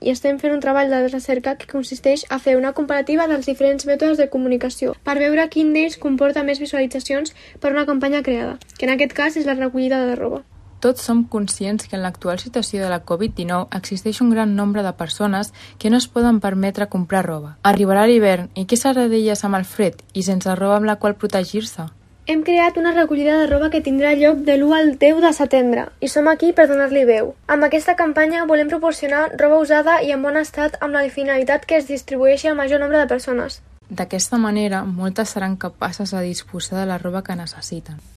i estem fent un treball de recerca que consisteix a fer una comparativa dels diferents mètodes de comunicació per veure quin d'ells comporta més visualitzacions per una campanya creada, que en aquest cas és la recollida de roba. Tots som conscients que en l'actual situació de la Covid-19 existeix un gran nombre de persones que no es poden permetre comprar roba. Arribarà l'hivern i què serà d'elles amb el fred i sense roba amb la qual protegir-se? Hem creat una recollida de roba que tindrà lloc de l'1 al 10 de setembre i som aquí per donar-li veu. Amb aquesta campanya volem proporcionar roba usada i en bon estat amb la finalitat que es distribueixi al major nombre de persones. D'aquesta manera, moltes seran capaces de disposar de la roba que necessiten.